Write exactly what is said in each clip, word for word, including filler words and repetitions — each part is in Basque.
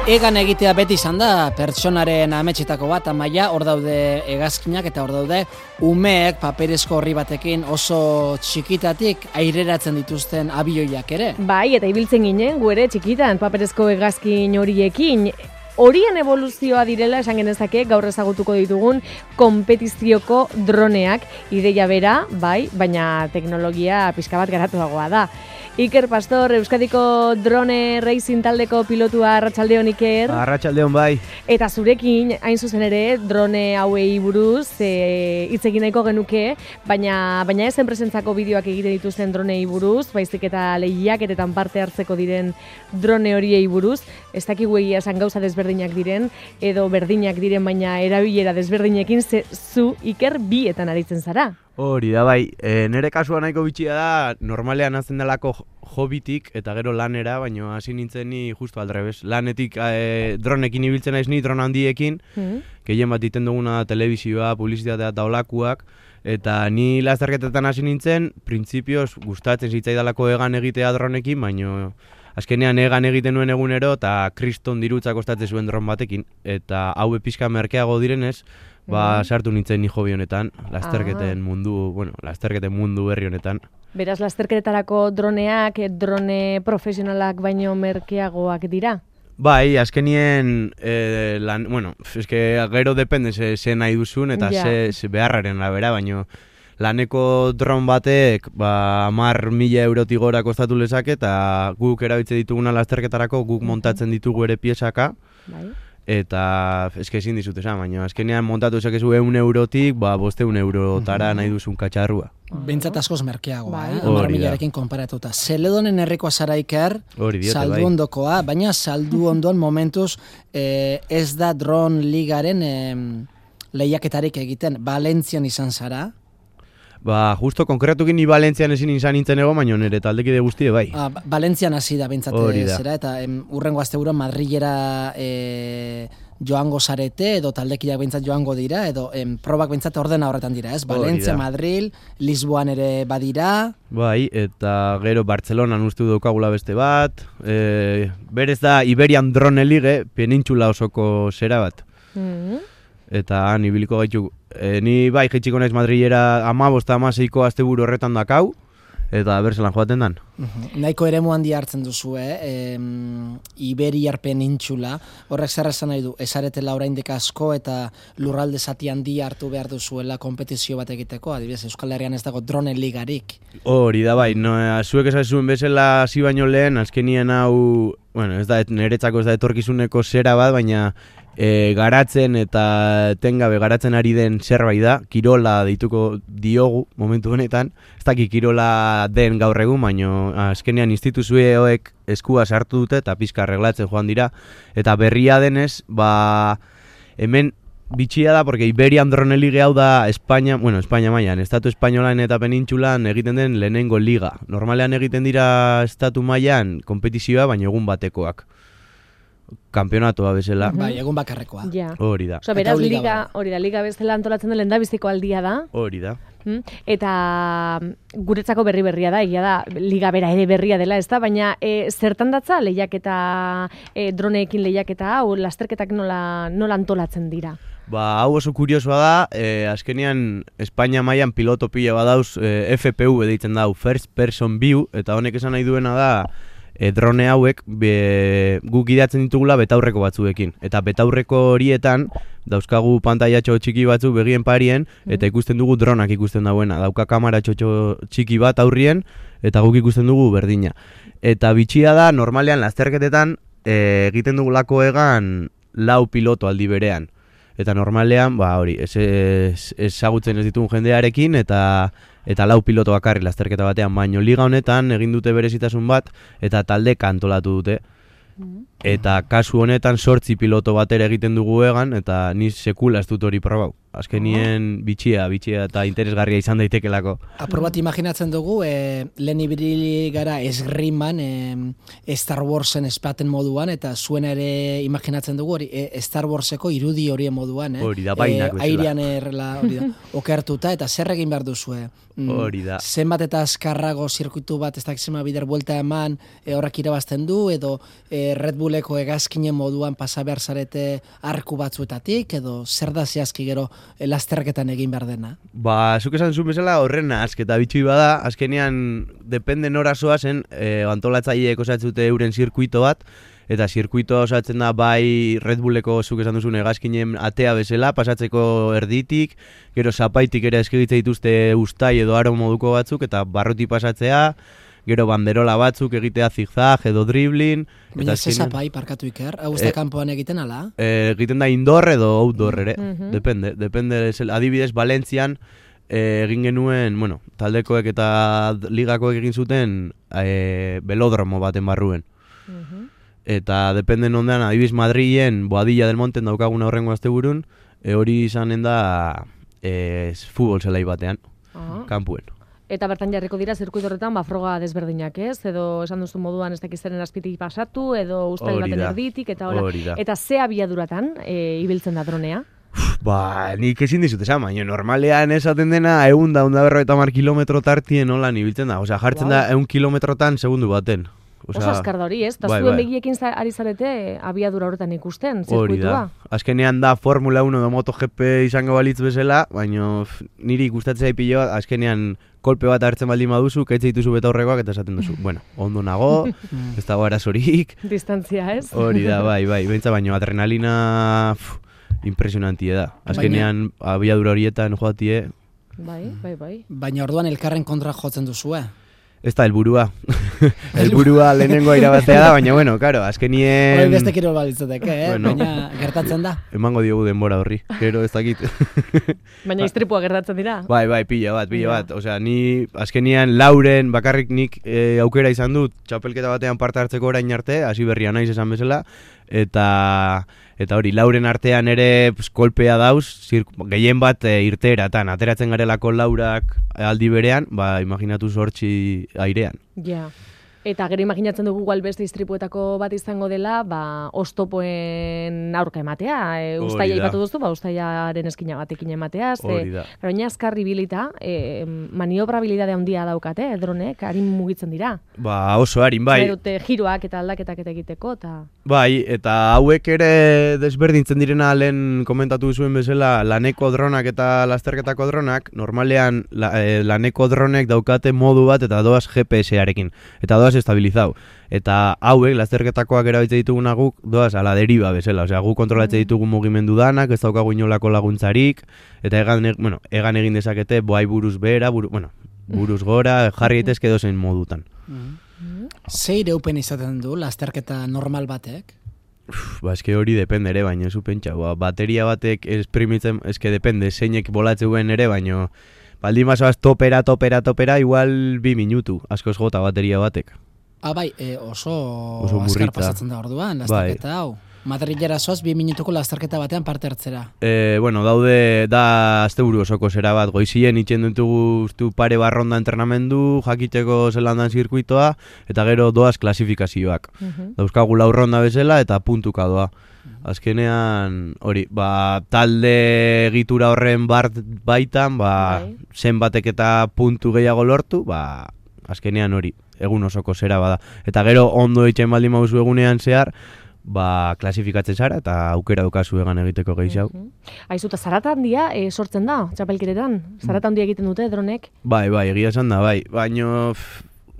Egan egitea beti izan da pertsonaren ametsetako bat, Amaia, hor daude hegazkinak eta hor daude umeek paperezko horri batekin oso txikitatik aireratzen dituzten abioiak ere. Bai, eta ibiltzen ginen, gu ere txikitan paperezko hegazkin horiekin. Horien evoluzioa direla esan genezake gaur ezagutuko ditugun konpetizioko droneak, ideia bera, bai, baina teknologia pixka bat garatuagoa da. Iker Pastor, Euskadiko drone racing taldeko pilotua, arratsaldeon Iker. Arratsaldeon bai. Eta zurekin, hain zuzen ere, drone hauei buruz e, hitz egin nahiko genuke, baina baina ez enpresentzako bideoak egiten dituzten dronei buruz, baizik eta lehiaketetan parte hartzeko diren drone horiei buruz, ez dakigu egia esan gauza desberdinak diren, edo berdinak diren, baina erabilera desberdinekin ze zu Iker bietan aritzen zara. Hori da bai, e, nire kasua nahiko bitxia da, normalean hazen delako hobitik eta gero lanera, baina hasi nintzen ni justu aldrebes. Lanetik e, dronekin ibiltzen naiz ni, drone handiekin, mm-hmm. Gehien bat iten duguna telebizioa, publizitatea eta olakuak, eta ni lasterketetan hasi nintzen, printzipioz gustatzen zitzaidalako egan egitea dronekin, baina azkenean egan egiten nuen egunero eta kriston dirutza kostatzen zuen dron batekin, eta hau pixka merkeago direnez, ba, sartu nintzen ni hobi honetan, lasterketen mundu, bueno, lasterketen mundu berri honetan. Beraz, lasterketetarako droneak, drone profesionalak baino merkeagoak dira? Bai, azkenien, eh, lan, bueno, eske gero depende ze, ze nahi duzun eta ja. ze, ze beharraren labera, baino laneko dron batek, ba, hamar mila eurotik gora kostatu lezake, eta guk erabiltze dituguna lasterketarako, guk montatzen ditugu ere piezaka, bai. Eta eske ezin dizut esan, baina azkenean montatu ezakezu ehun eurotik, ba bosteun eurotara nahi duzun katxarrua. Behintzat askoz merkeagoa, bai. eh? hamar milarekin konparatuta. Zeledonen herrikoa zara Iker, saldu ondokoa, baina saldu ondoan momentuz eh, ez da drone ligaren eh, lehiaketarik egiten. Valentzian izan zara. Ba, justo konkretukin ni Valentzian ezin izan nintzen ego, baina nire taldekide guztie bai. Ah, Valentzian hasi da bentsate zera, eta em, urrengo asteburu Madrilera e, joango zarete, edo taldekideak bentsat joango dira, edo em, probak bentsat ordena horretan dira, ez? Valentzia, Madril, Lisboan ere badira. Bai, eta gero Bartzelonan uste daukagula beste bat. E, berez da Iberian Drone League, penintxula osoko zera bat. Mm-hmm. Eta han ibiliko gaitu. E, ni bai jaitsiko naiz Madrilera hamabost hamaseiko asteburu horretan dakau, eta berzelan joaten dan. Uh-huh. Nahiko eremu handi hartzen duzu, eh? E, Iberiar penintxula, horrek zer esan nahi du, ezaretela oraindik asko eta lurralde zati handi hartu behar duzuela konpetizio bat egiteko, adibidez Euskal Herrian ez dago drone ligarik. Hori da bai, no, zuek esazuen bezala hasi baino lehen, azkenien hau, bueno, ez da, niretzako ez da etorkizuneko zera bat, baina E, garatzen eta tengabe garatzen ari den zerbait da, kirola deituko diogu momentu honetan, ez daki kirola den gaur egun, baina azkenean instituzioek eskua sartu dute eta pizka arreglatzen joan dira, eta berria denez, ba, hemen bitxia da, porque Iberian Drone League hau da Espainia, bueno, Espainia mailan, estatu espainolan eta penintxulan egiten den lehenengo liga. Normalean egiten dira estatu mailan konpetizioa, baina egun batekoak. Kampionatoa bezala. Bai, egun bakarrekoa. Ja. Hori da. Oso, beraz, liga, hori da, liga bezala antolatzen den lehendabiziko aldia da. Hori da. Eta guretzako berri berria da, egia da, liga bera ere berria dela, ez da, baina e, zertan datza lehiaketa, e, droneekin lehiaketa, hau lasterketak nola, nola antolatzen dira? Ba, hau oso kuriosoa da, e, azkenean Espainia mailan piloto pila badauz, e, F P V deitzen dau, First Person View, eta honek esan nahi duena da, E, drone hauek be, guk idatzen ditugula betaurreko batzuekin. Eta betaurreko horietan dauzkagu pantailatxo txiki batzu begien parien, eta ikusten dugu dronak ikusten dauena. Dauka kamera txotxo txiki bat aurrien, eta guk ikusten dugu berdina. Eta bitxia da, normalean lasterketetan e, egiten dugulako egan lau piloto aldi berean. Eta normalean, ba hori, ezagutzen ez, ez, ez ditugun jendearekin, eta eta lau piloto bakarri lasterketa batean, baino liga honetan egin dute berezitasun bat, eta talde kantolatu dute. Eta kasu honetan sortzi piloto batera egiten dugu egan, eta ni sekula ez dut hori probau. azkenien bitxia, bitxia eta interesgarria izan daitekelako. Apur bat imaginatzen dugu, e, lehen ibili gara esgriman, e, Star Warsen espaten moduan, eta zuena ere imaginatzen dugu, hori, e, Star Warseko irudi horien moduan, eh? Hori da, bainak bezala. Airean errela, hori da, okertuta, eta zer egin behar duzue? Hori da. Zenbat eta azkarrago zirkuitu bat, ez dakizema bider buelta eman, e, horrak irabazten du, edo e, Red Bulleko hegazkinen moduan pasa behar zarete arku batzuetatik, edo zer da zehazki gero e, lasterketan egin behar dena? Ba, zuk esan zuen bezala horren azketa bitxui bada, azkenean depende nora zoazen, e, antolatzaileek osatzute euren zirkuito bat, eta zirkuitoa osatzen da bai Red Bulleko zuk esan duzun hegazkinen atea bezala, pasatzeko erditik, gero zapaitik ere eskegitze dituzte ustai edo aro moduko batzuk, eta barruti pasatzea, gero banderola batzuk egitea zigzag edo dribbling. Baina ze zapai parkatu iker, hau ez da kanpoan egiten ala? E, egiten da indoor edo outdoor ere, mm-hmm. depende, depende, adibidez Valentzian, E, egin genuen, bueno, taldekoek eta ligakoek egin zuten e, belodromo baten barruen. Uh-huh. Eta dependen ondean, adibidez Madrilen Boadilla del Monten daukaguna horrengo asteburun, e, hori izanen da e, futbol zelai batean, uh-huh. kanpuen. Eta bertan jarriko dira zirkuito horretan ba froga desberdinak, ez? Edo esan duzu moduan ez dakizaren azpitik pasatu, edo ustail baten erditik, eta hola. Eta ze abiaduratan e, ibiltzen da dronea? Ba, nik ezin dizut esan, baina normalean esaten dena egun da, unda berro eta mar kilometro tartien hola nibiltzen da. Osea, jartzen wow. da egun kilometrotan segundu baten. Osea, oso azkar da hori, ez? Da bai, zuen bai. begiekin ari zarete abiadura horretan ikusten, hori zirkuitua. Da. Azkenean da Formula uno edo MotoGP izango balitz bezala, baina niri gustatzea ipilo bat, azkenean kolpe bat hartzen baldin baduzu, kaitze dituzu beta horrekoak eta esaten duzu. Bueno, ondo nago, ez dago arazorik. Distantzia, ez? Hori da, bai, bai, bentsa baino adrenalina pff, impresionantia da. Azkenean abiadura horietan joatie. Bai, bai, bai. Baina orduan elkarren kontra jotzen duzu, eh? Ez da, helburua. Helburua lehenengoa irabaztea da, baina, bueno, karo, azkenien... Hori beste kirol balitzateke, eh? Bueno, baina gertatzen da. Emango diogu denbora horri, gero ez dakit. Baina istripua gertatzen dira? Bai, bai, pila bat, pila bat. Osea, ni azkenian Lauren bakarrik nik e, aukera izan dut, txapelketa batean parte hartzeko orain arte, hasi berria naiz esan bezala, eta... Eta hori, Lauren artean ere pues, kolpea dauz, gehien bat e, irteeratan, ateratzen garelako Laurak aldi berean, ba, imaginatu zortzi airean. Ja. Eta gero imaginatzen dugu igual beste istripuetako bat izango dela, ba, oztopoen aurka ematea. E, Uztaia ipatu duzu, ba, Uztaiaren eskina batekin ematea. Hori da. Pero oina azkarri bilita, e, maniobrabilidade handia daukate, eh, dronek, harin mugitzen dira. Ba, oso harin, bai. Berute giroak eta aldaketak eta egiteko, eta... Bai, eta hauek ere desberdintzen direna lehen komentatu zuen bezala, laneko dronak eta lasterketako dronak, normalean la, e, laneko dronek daukate modu bat eta doaz G P S-arekin. Eta doaz estabilizau. Eta hauek, lasterketakoak erabiltze dituguna guk, doaz ala deriba bezala. Osea, guk kontrolatze ditugu mugimendu danak, ez daukagu inolako laguntzarik, eta egan, bueno, egan egin dezakete, bai buruz behera, buru, bueno, buruz gora, jarri daitezke dozen modutan. Ze ireupen izaten du lasterketa normal batek? Uf, ba, eske hori depende ere, baina zu pentsa, ba, bateria batek esprimitzen, eske depende, zeinek bolatzuen ere, baina baldin bazoaz topera, topera, topera, igual bi minutu, askoz jota bateria batek. Ah, bai, e, oso, oso azkar pasatzen da orduan, lasterketa bai. Hau. Madrilera zoaz, bi minutuko lasterketa batean parte hartzera. E, bueno, daude, da asteburu osoko zera bat, goizien itxen dutu pare barronda entrenamendu, jakiteko zelandan zirkuitoa, eta gero doaz klasifikazioak. Uh-huh. Dauzkagu laurronda bezala eta puntuka doa. Azkenean, hori, ba, talde egitura horren bart baitan, ba, bai. Zenbatek eta puntu gehiago lortu, ba, azkenean hori, egun osoko zera bada. Eta gero ondo itxen baldin mauzu egunean zehar, ba, klasifikatzen zara eta aukera dukazu egan egiteko gehiago. Uh-huh. Aizu, eta zarata handia e, sortzen da, txapelkeretan? Zarata handia egiten dute, dronek? Bai, bai, egia esan da, bai. Baina,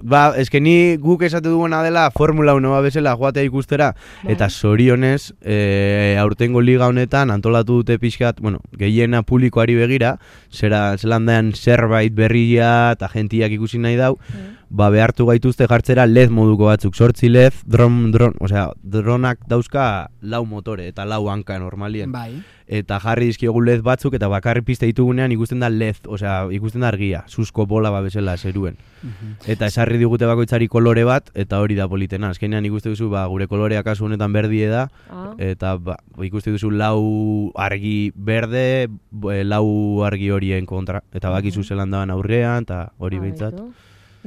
ba, eske ni guk esate duguna dela Formula uno ba bezala joatea ikustera, bai. Eta zorionez, e, aurtengo liga honetan antolatu dute pixkat, bueno, gehiena publikoari begira, zera zelandean zerbait berria eta gentiak ikusi nahi dau, mm. ba behartu gaituzte jartzera led moduko batzuk, sortzi led, dron, dron, osea, dronak dauzka lau motore eta lau hanka normalien. Bai. Eta jarri dizkiogu led batzuk eta bakarri pista ditugunean ikusten da led, osea, ikusten da argia, susko bola babesela zeruen. Mhm. Eta esarri digute bakoitzari kolore bat eta hori da politena. Azkenean ikuste duzu ba gure kolorea kasu honetan berdie da Ah. eta ba, ikuste duzu lau argi berde, b- lau argi horien kontra eta bakizu zelan daban aurrean eta hori behintzat. Baitu.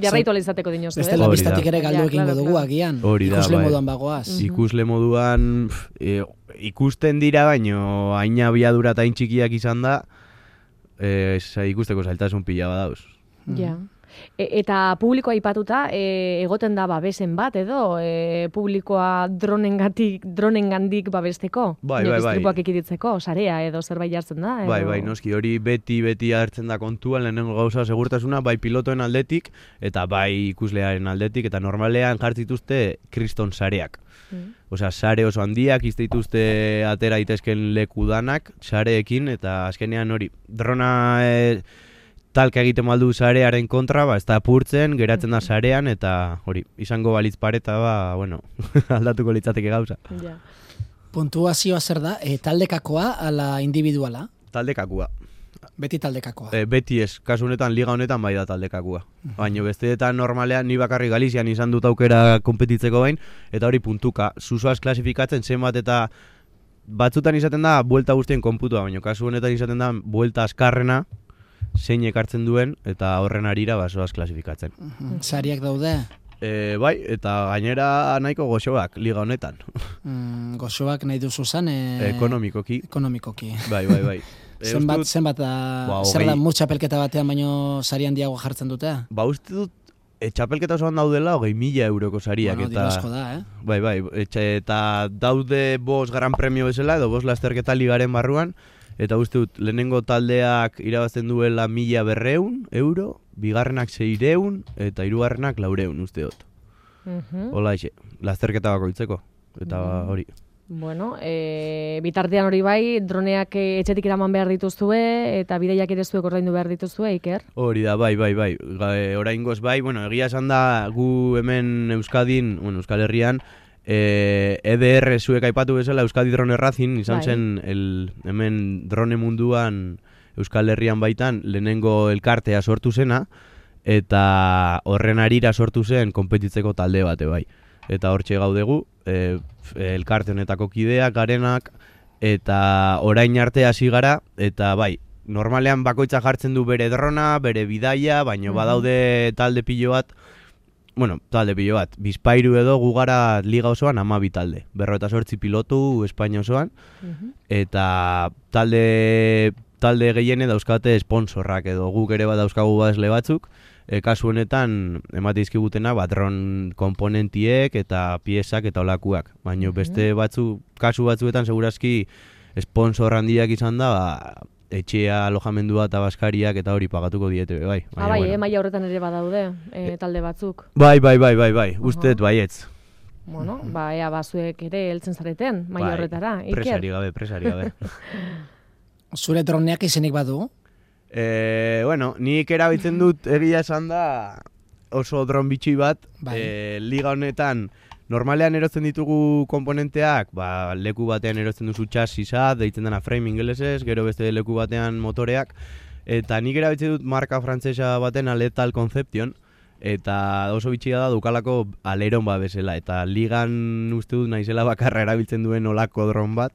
Jarraitu alizateko dinozu, Bestela Hori bistatik da. ere galdu Ja, egingo claro, dugu claro. agian. Hori da, Ikusle bai. moduan bagoaz. Ikusle moduan pf, e, ikusten dira baino hain abiadura eta hain txikiak izan da e, sa- ikusteko zailtasun pila badauz. Ja. E, eta publikoa aipatuta e, egoten da babesen bat edo e, publikoa dronengatik dronengandik babesteko, Bai, Inork bai, bai. istripuak ekiditzeko, sarea edo zerbait jartzen da edo... Bai, bai, noski hori beti beti hartzen da kontuan lehenengo gauza segurtasuna bai pilotoen aldetik eta bai ikuslearen aldetik eta normalean jartzen dituzte kriston sareak. Mm. Osea, sare oso handiak izte dituzte atera daitezken leku danak sareekin eta azkenean hori drona e, talka egiten baldu sarearen kontra, ba ez da apurtzen, geratzen da sarean eta hori, izango balitz pareta ba, bueno, aldatuko litzateke gauza. Ja. Puntuazioa zer da? E, taldekakoa ala individuala? Taldekakua. Beti taldekakoa. E, beti ez, kasu honetan, liga honetan bai da taldekakua. Baina besteetan normalean ni bakarri Galizian izan dut aukera konpetitzeko bain, eta hori puntuka, zuzoaz klasifikatzen zenbat eta batzutan izaten da buelta guztien konputua, baina kasu honetan izaten da buelta azkarrena, zeinek hartzen duen, eta horren arira basoaz klasifikatzen. Mhm. Sariak daude? E, bai, eta gainera nahiko goxoak liga honetan, Mm, gozoak nahi duzu zan? E, ekonomikoki. Ekonomikoki. Bai, bai, bai. E, Zenbat, uste dut- zenbat da, Ba, zer da hogei. mutxa pelketa batean baino sari handiago jartzen dute? Ba, uste dut, e, txapelketa osoan daudela hogei mila euroko sariak. Bueno, eta... diru asko da, eh? Bai, bai, etxe, eta daude bost gran premio bezala, edo bost lasterketa ligaren barruan, eta uste dut, lehenengo taldeak irabazten duela mila berreun euro, bigarrenak seireun, eta hirugarrenak laureun, uste dut. Mhm. Hola, eixe, lasterketa bakoitzeko, eta Mhm. hori. Bueno, e, bitartean hori bai, droneak e, etxetik eraman behar dituzue, eta bideiak ere zuek ordaindu behar dituzue, Iker? Hori da, bai, bai, bai, Ga- e, oraingoz bai, bueno, egia esan da gu hemen Euskadin, bueno, Euskal Herrian, e, E D R zuek aipatu bezala Euskadi Drone Racing, izan Bai. zen el, hemen drone munduan Euskal Herrian baitan lehenengo elkartea sortu zena, eta horren arira sortu zen konpetitzeko talde bate bai. Eta hortxe gaudegu, e, f- elkarte honetako kideak, garenak, eta orain arte hasi gara, eta bai, normalean bakoitza jartzen du bere drona, bere bidaia, baina Mhm. badaude talde pilo bat, bueno, talde pilo bat, bizpairu edo gu gara liga osoan hamabi talde, berrogeita zortzi pilotu Espainia osoan, Mhm. eta talde talde gehiene dauzkate sponsorrak edo guk ere bat dauzkagu badesle batzuk, e, kasu honetan emate dizkigutena ba, dron komponentiek eta piezak eta olakuak, baina Mhm. beste batzu, kasu batzuetan segurazki sponsor handiak izan da, ba, etxea, alojamendua eta baskariak eta hori pagatuko diete be, bai. Ah, bai, eh, maila horretan ere badaude, e, talde batzuk. Bai, bai, bai, bai, bai, uste dut baietz. Bueno, ba, ea bazuek ere heltzen zareten, maila Bai, horretara, Iker. Presari gabe, presari gabe. Zure droneak izenik badu? E, bueno, nik erabiltzen dut egia esan da oso dron bitxi bat, Bai. e, liga honetan normalean erotzen ditugu komponenteak, ba, leku batean erotzen duzu txasisa, deitzen dena frame ingelesez, gero beste leku batean motoreak, eta nik erabiltzen dut marka frantsesa baten Aletal Conception, eta oso bitxia da dukalako aleron ba bezala, eta ligan uste dut naizela bakarra erabiltzen duen olako dron bat,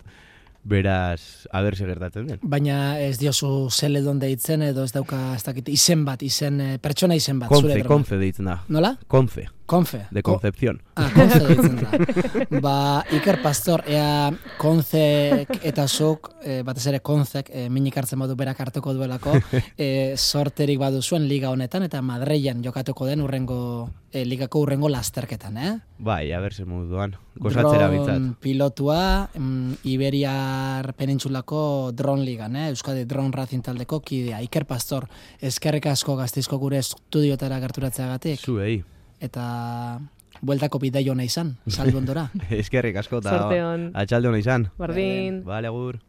beraz, aber zer gertatzen den. Baina ez diozu zeledon deitzen edo ez dauka ez dakit izen bat, izen eh, pertsona izen bat. Conce, zure drona. Conce deitzen da. Nola? Conce, Konfe. de Ko- Concepción. Ah, Konze deitzen da. Ba, Iker Pastor, ea Konzek eta zuk, e, batez ere Konzek, e, minik hartzen badu berak hartuko duelako, e, sorterik baduzuen liga honetan, eta Madreian jokatuko den urrengo, e, ligako urrengo lasterketan, eh? Bai, aber zer moduan. Gozatzera Dron bitzat. pilotua, mm, Iberiar penintsulako dron ligan, eh? Euskadi Drone Racing taldeko kidea. Iker Pastor, eskerrik asko Gasteizko gure estudiotara gerturatzeagatik. Zuei. Eta bueltako bidai ona izan, saldu ondora. Eskerrik asko eta Zorte on. atxalde hona izan. Bardin. Bale, agur.